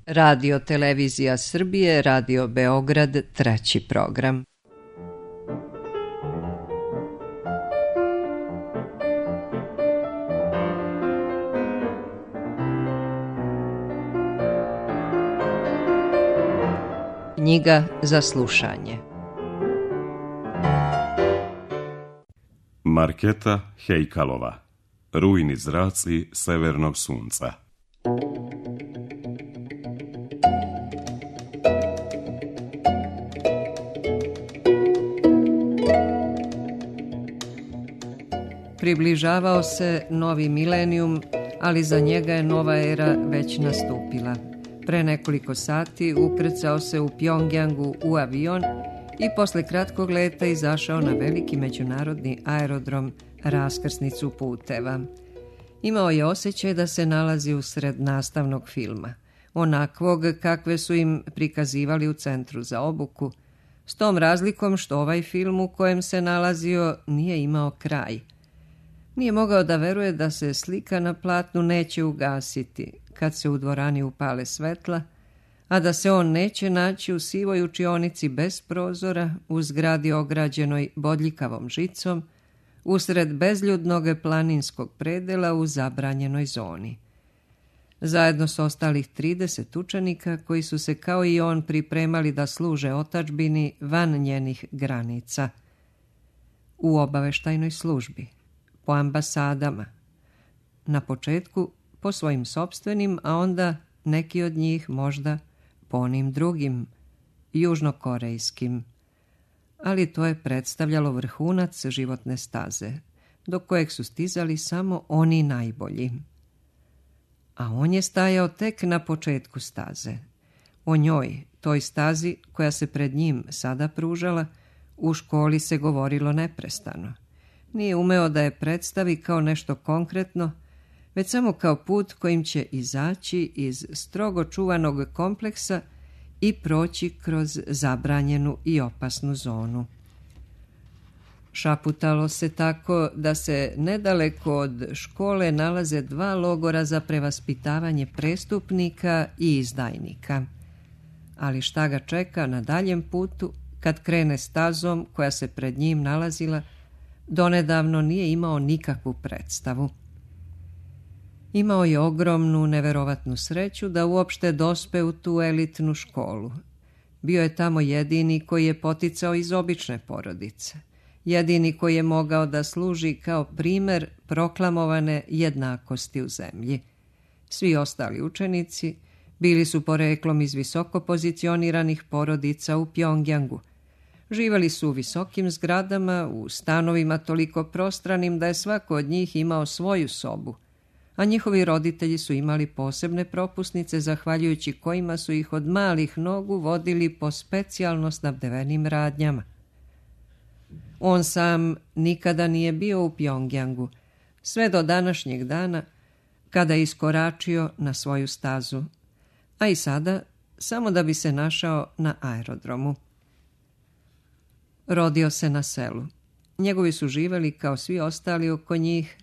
Radio Televizija Srbije, Radio Beograd, 3. program. Knjiga za slušanje. Marketa Hejkalova. Rujni zraci severnog sunca. Približavao se novi milenijum, ali za njega je nova era već nastupila. Pre nekoliko sati ukrcao se u Pjongjangu u avion i posle kratkog leta izašao na veliki međunarodni aerodrom, raskrsnicu puteva. Imao je osjećaj da se nalazi usred nastavnog filma, onakvog kakve su im prikazivali u centru za obuku, s tom razlikom što ovaj film u kojem se nalazio nije imao kraj. Nije mogao da veruje da se slika na platnu neće ugasiti kad se u dvorani upale svetla, a da se on neće naći u sivoj učionici bez prozora, u zgradi ograđenoj bodljikavom žicom, usred bezljudnog planinskog predela u zabranjenoj zoni. Zajedno s ostalih 30 učenika koji su se kao i on pripremali da služe otadžbini van njenih granica. U obaveštajnoj službi, po ambasadama, na početku po svojim sopstvenim, a onda neki od njih možda po onim drugim, južnokorejskim. Ali to je predstavljalo vrhunac životne staze, do kojeg su stizali samo oni najbolji. A on je stajao tek na početku staze. O njoj, toj stazi koja se pred njim sada pružala, u školi se govorilo neprestano. Nije umeo da je predstavi kao nešto konkretno, već samo kao put kojim će izaći iz strogo čuvanog kompleksa i proći kroz zabranjenu i opasnu zonu. Šaputalo se tako da se nedaleko od škole nalaze 2 logora za prevaspitavanje prestupnika i izdajnika. Ali šta ga čeka na daljem putu kad krene stazom koja se pred njim nalazila, donedavno nije imao nikakvu predstavu. Imao je ogromnu, neverovatnu sreću da uopšte dospe u tu elitnu školu. Bio je tamo jedini koji je poticao iz obične porodice. Jedini koji je mogao da služi kao primer proklamovane jednakosti u zemlji. Svi ostali učenici bili su poreklom iz visoko pozicioniranih porodica u Pjongjangu. Živeli su u visokim zgradama, u stanovima toliko prostranim da je svako od njih imao svoju sobu, a njihovi roditelji su imali posebne propusnice zahvaljujući kojima su ih od malih nogu vodili po specijalno snabdevenim radnjama. On sam nikada nije bio u Pjongjangu, sve do današnjeg dana kada je iskoračio na svoju stazu, a i sada samo da bi se našao na aerodromu. Rodio se na selu. Njegovi su živeli kao svi ostali oko njih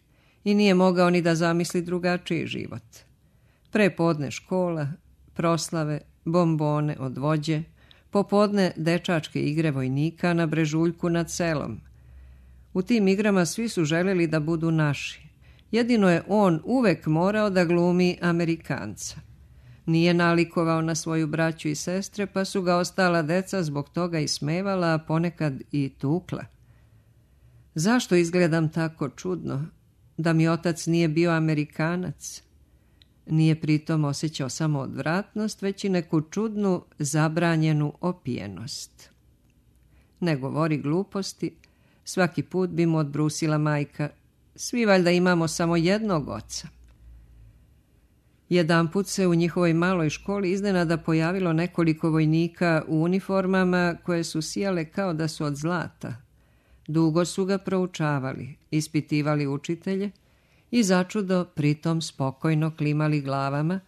i nije mogao ni da zamisli drugačiji život. Prepodne škola, proslave, bombone od vođe, popodne dečačke igre vojnika na brežuljku nad selom. U tim igrama svi su želeli da budu naši. Jedino je on uvek morao da glumi Amerikanca. Nije nalikovao na svoju braću i sestre, pa su ga ostala deca zbog toga ismevala, a ponekad i tukla. Zašto izgledam tako čudno? Da mi otac nije bio Amerikanac? Nije pritom osjećao samo odvratnost, već i neku čudnu, zabranjenu opijenost. Ne govori gluposti, svaki put bi mu odbrusila majka. Svi valjda imamo samo jednog oca. Jedanput se u njihovoj maloj školi iznenada pojavilo nekoliko vojnika u uniformama koje su sijale kao da su od zlata. Dugo su ga proučavali, ispitivali učitelje i začudo pritom spokojno klimali glavama,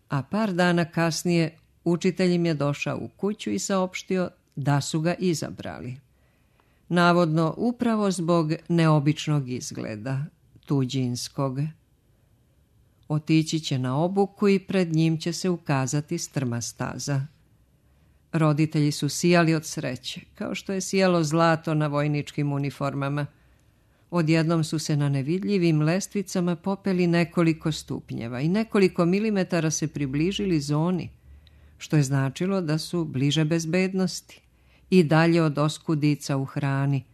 a par dana kasnije učitelj im je došao u kuću i saopštio da su ga izabrali. Navodno upravo zbog neobičnog izgleda, tuđinskog. Otići će na obuku i pred njim će se ukazati strma staza. Roditelji su sijali od sreće, kao što je sijalo zlato na vojničkim uniformama. Odjednom su se na nevidljivim lestvicama popeli nekoliko stupnjeva i nekoliko milimetara se približili zoni, što je značilo da su bliže bezbednosti i dalje od oskudica u hrani,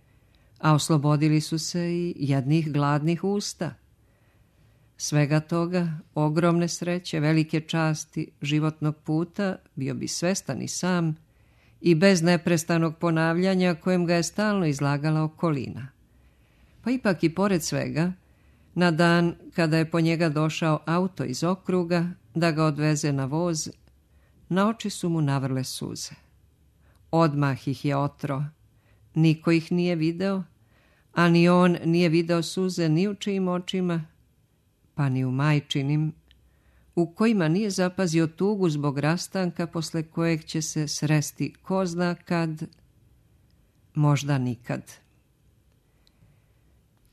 a oslobodili su se i jednih gladnih usta. Svega toga, ogromne sreće, velike časti životnog puta, bio bi svestan i sam i bez neprestanog ponavljanja kojem ga je stalno izlagala okolina. Pa ipak i pored svega, na dan kada je po njega došao auto iz okruga da ga odveze na voz, na oči su mu navrle suze. Odmah ih je otro. Niko ih nije video, a ni on nije video suze ni u čijim očima, pa ni u majčinim, u kojima nije zapazio tugu zbog rastanka posle kojeg će se sresti ko zna kad, možda nikad.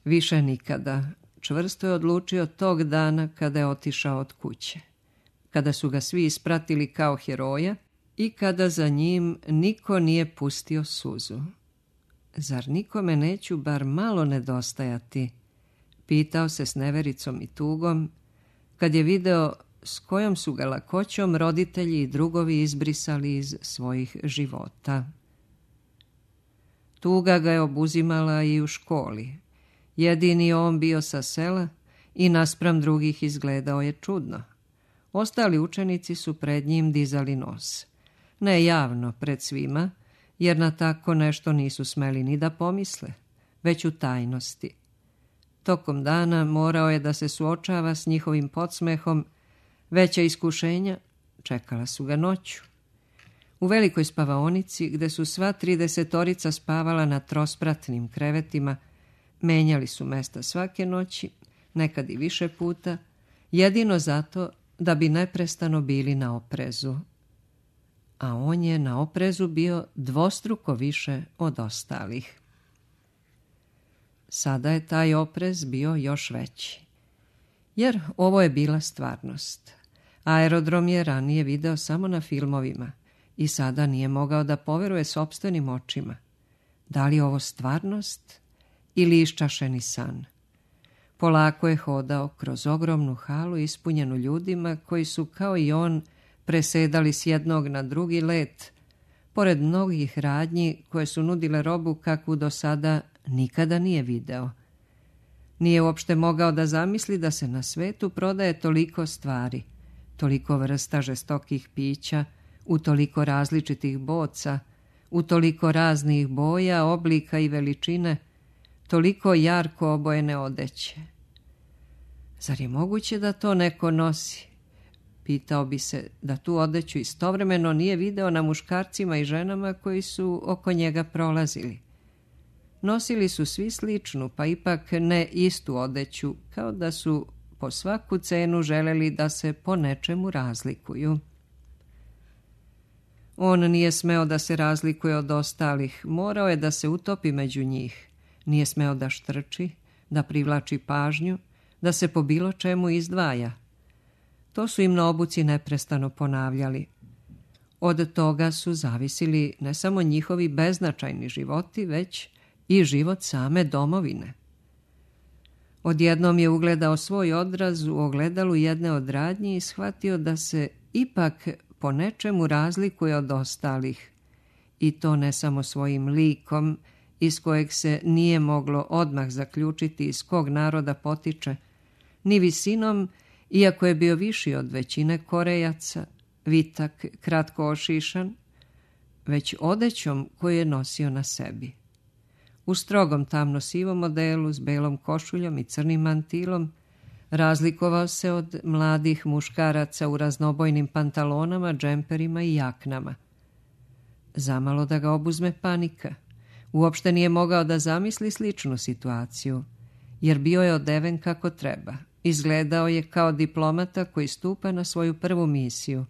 Više nikada, čvrsto je odlučio tog dana kada je otišao od kuće, kada su ga svi ispratili kao heroja i kada za njim niko nije pustio suzu. Zar nikome neću bar malo nedostajati? Pitao se s nevericom i tugom, kad je video s kojom su ga lakoćom roditelji i drugovi izbrisali iz svojih života. Tuga ga je obuzimala i u školi. Jedini on bio sa sela i naspram drugih izgledao je čudno. Ostali učenici su pred njim dizali nos. Ne javno pred svima, jer na tako nešto nisu smeli ni da pomisle, već u tajnosti. Tokom dana morao je da se suočava s njihovim podsmehom, veća iskušenja čekala su ga noću. U velikoj spavaonici, gde su sva 30 spavala na trospratnim krevetima, menjali su mesta svake noći, nekad i više puta, jedino zato da bi neprestano bili na oprezu. A on je na oprezu bio dvostruko više od ostalih. Sada je taj oprez bio još veći, jer ovo je bila stvarnost. Aerodrom je ranije video samo na filmovima i sada nije mogao da poveruje sopstvenim očima. Da li je ovo stvarnost ili iščašeni san? Polako je hodao kroz ogromnu halu ispunjenu ljudima koji su kao i on presedali s jednog na drugi let, pored mnogih radnji koje su nudile robu kakvu do sada nikada nije video. Nije uopšte mogao da zamisli da se na svetu prodaje toliko stvari, toliko vrsta žestokih pića, u toliko različitih boca, u toliko raznih boja, oblika i veličine, toliko jarko obojene odeće. Zar je moguće da to neko nosi? Pitao bi se da tu odeću istovremeno nije video na muškarcima i ženama koji su oko njega prolazili. Nosili su svi sličnu, pa ipak ne istu odeću, kao da su po svaku cenu želeli da se po nečemu razlikuju. On nije smeo da se razlikuje od ostalih, morao je da se utopi među njih. Nije smeo da štrči, da privlači pažnju, da se po bilo čemu izdvaja. To su im na obuci neprestano ponavljali. Od toga su zavisili ne samo njihovi beznačajni životi, već i život same domovine. Odjednom je ugledao svoj odraz u ogledalu jedne od radnji i shvatio da se ipak po nečemu razlikuje od ostalih. I to ne samo svojim likom, iz kojeg se nije moglo odmah zaključiti iz kog naroda potiče, ni visinom, iako je bio viši od većine Korejaca, vitak, kratko ošišan, već odećom koju je nosio na sebi. U strogom tamno-sivom modelu s belom košuljom i crnim mantilom razlikovao se od mladih muškaraca u raznobojnim pantalonama, džemperima i jaknama. Zamalo da ga obuzme panika. Uopšte nije mogao da zamisli sličnu situaciju, jer bio je odeven kako treba. Izgledao je kao diplomata koji stupa na svoju prvu misiju.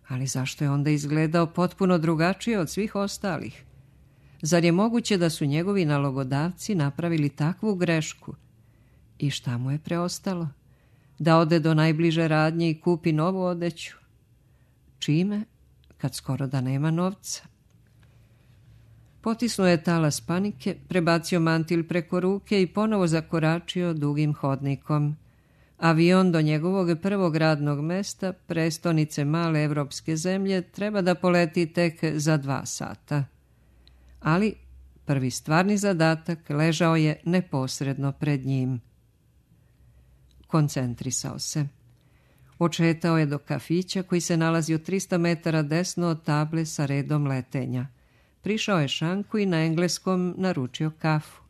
Ali zašto je onda izgledao potpuno drugačije od svih ostalih? Zar je moguće da su njegovi nalogodavci napravili takvu grešku? I šta mu je preostalo? da ode do najbliže radnje i kupi novu odeću. Čime, kad skoro da nema novca? Potisnuo je talas panike, prebacio mantil preko ruke i ponovo zakoračio dugim hodnikom. Avion do njegovog prvog radnog mesta, prestonice male evropske zemlje, treba da poleti tek za 2 sata. Ali prvi stvarni zadatak ležao je neposredno pred njim. Koncentrisao se. Očetao je do kafića koji se nalazio 300 metara desno od table sa redom letenja. Prišao je šanku i na engleskom naručio kafu.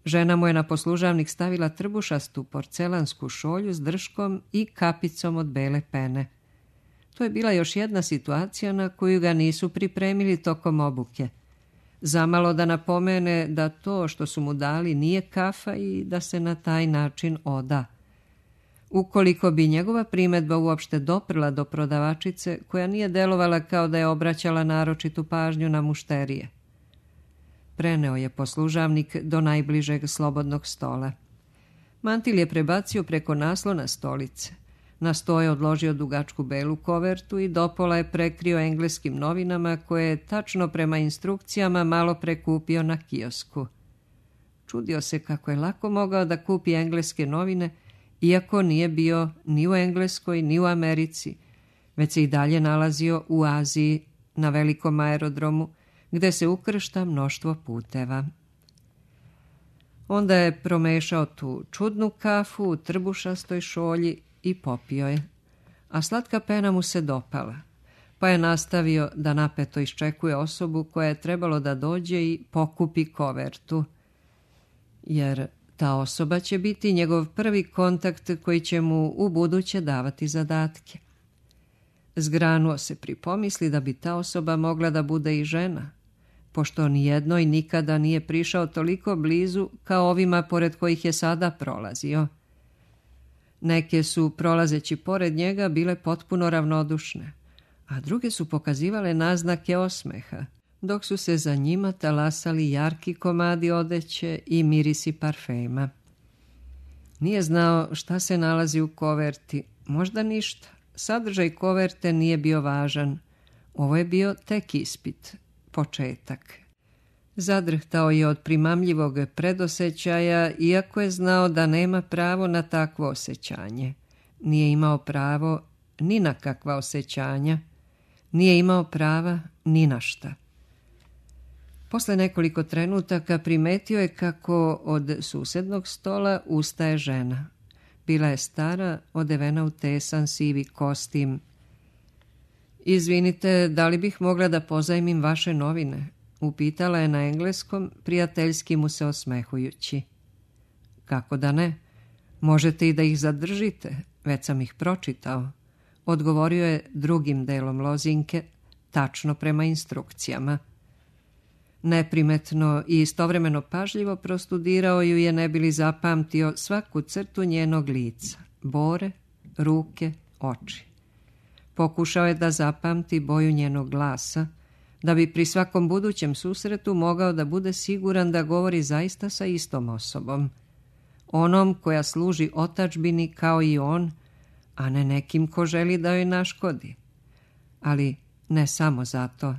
Žena mu je na poslužavnik stavila trbušastu porcelansku šolju s drškom i kapicom od bele pene. To je bila još jedna situacija na koju ga nisu pripremili tokom obuke. Zamalo da napomene da to što su mu dali nije kafa i da se na taj način oda. Ukoliko bi njegova primedba uopšte doprla do prodavačice, koja nije delovala kao da je obraćala naročitu pažnju na mušterije. Preneo je poslužavnik do najbližeg slobodnog stola. Mantil je prebacio preko naslona stolice. Na sto je odložio dugačku belu kovertu i dopola je prekrio engleskim novinama koje je tačno prema instrukcijama malo prekupio na kiosku. Čudio se kako je lako mogao da kupi engleske novine, iako nije bio ni u Engleskoj ni u Americi, već se i dalje nalazio u Aziji na velikom aerodromu, gde se ukršta mnoštvo puteva. Onda je promešao tu čudnu kafu u trbušastoj šolji i popio je, a slatka pena mu se dopala, pa je nastavio da napeto iščekuje osobu koja je trebalo da dođe i pokupi kovertu, jer ta osoba će biti njegov prvi kontakt koji će mu u buduće davati zadatke. Zgranuo se pri pomisli da bi ta osoba mogla da bude i žena, pošto nijednoj nikada nije prišao toliko blizu kao ovima pored kojih je sada prolazio. Neke su, prolazeći pored njega, bile potpuno ravnodušne, a druge su pokazivale naznake osmeha, dok su se za njima talasali jarki komadi odeće i mirisi parfema. Nije znao šta se nalazi u koverti, možda ništa. Sadržaj koverte nije bio važan. Ovo je bio tek ispit, početak. Zadrhtao je od primamljivog predosećaja, iako je znao da nema pravo na takvo osjećanje. Nije imao pravo ni na kakva osjećanja, nije imao prava ni na šta. Posle nekoliko trenutaka primetio je kako od susednog stola ustaje žena. Bila je stara, odevena u tesan sivi kostim. Izvinite, da li bih mogla da pozajmim vaše novine? Upitala je na engleskom, prijateljski mu se osmehujući. Kako da ne? Možete i da ih zadržite, već sam ih pročitao. Odgovorio je drugim delom lozinke, tačno prema instrukcijama. Neprimetno i istovremeno pažljivo prostudirao ju je, ne bi li zapamtio svaku crtu njenog lica, bore, ruke, oči. Pokušao je da zapamti boju njenog glasa, da bi pri svakom budućem susretu mogao da bude siguran da govori zaista sa istom osobom, onom koja služi otadžbini kao i on, a ne nekim ko želi da joj naškodi. Ali ne samo zato.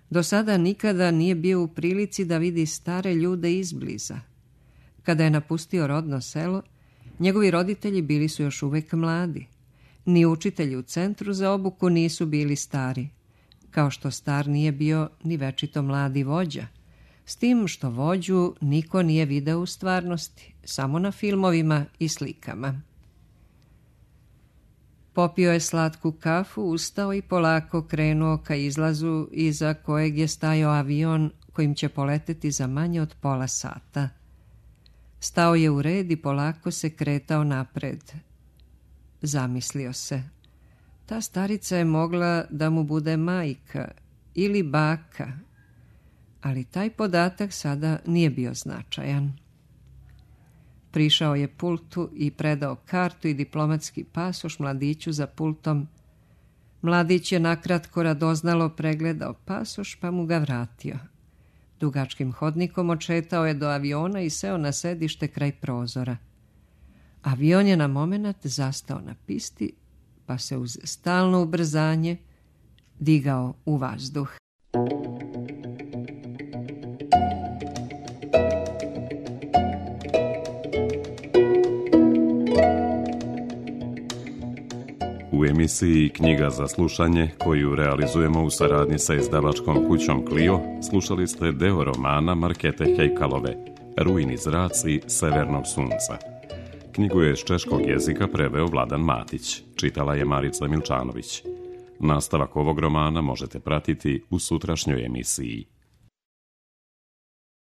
Do sada nikada nije bio u prilici da vidi stare ljude izbliza. Kada je napustio rodno selo, njegovi roditelji bili su još uvek mladi. Ni učitelji u centru za obuku nisu bili stari, kao što star nije bio ni večito mladi vođa, s tim što vođu niko nije video u stvarnosti, samo na filmovima i slikama. Popio je slatku kafu, ustao i polako krenuo ka izlazu iza kojeg je stajao avion kojim će poleteti za manje od pola sata. Stao je u red i polako se kretao napred. Zamislio se. Ta starica je mogla da mu bude majka ili baka, ali taj podatak sada nije bio značajan. Prišao je pultu i predao kartu i diplomatski pasoš mladiću za pultom. Mladić je nakratko radoznalo pregledao pasoš pa mu ga vratio. Dugačkim hodnikom odšetao je do aviona i seo na sedište kraj prozora. Avion je na momenat zastao na pisti, pa se uz stalno ubrzanje digao u vazduh. U emisiji Knjiga za slušanje, koju realizujemo u saradnji sa izdavačkom kućom Clio, slušali ste deo romana Markete Hejkalove, Rujni zraci severnog sunca. Knjigu je s češkog jezika preveo Vladan Matić, čitala je Marica Milčanović. Nastavak ovog romana možete pratiti u sutrašnjoj emisiji.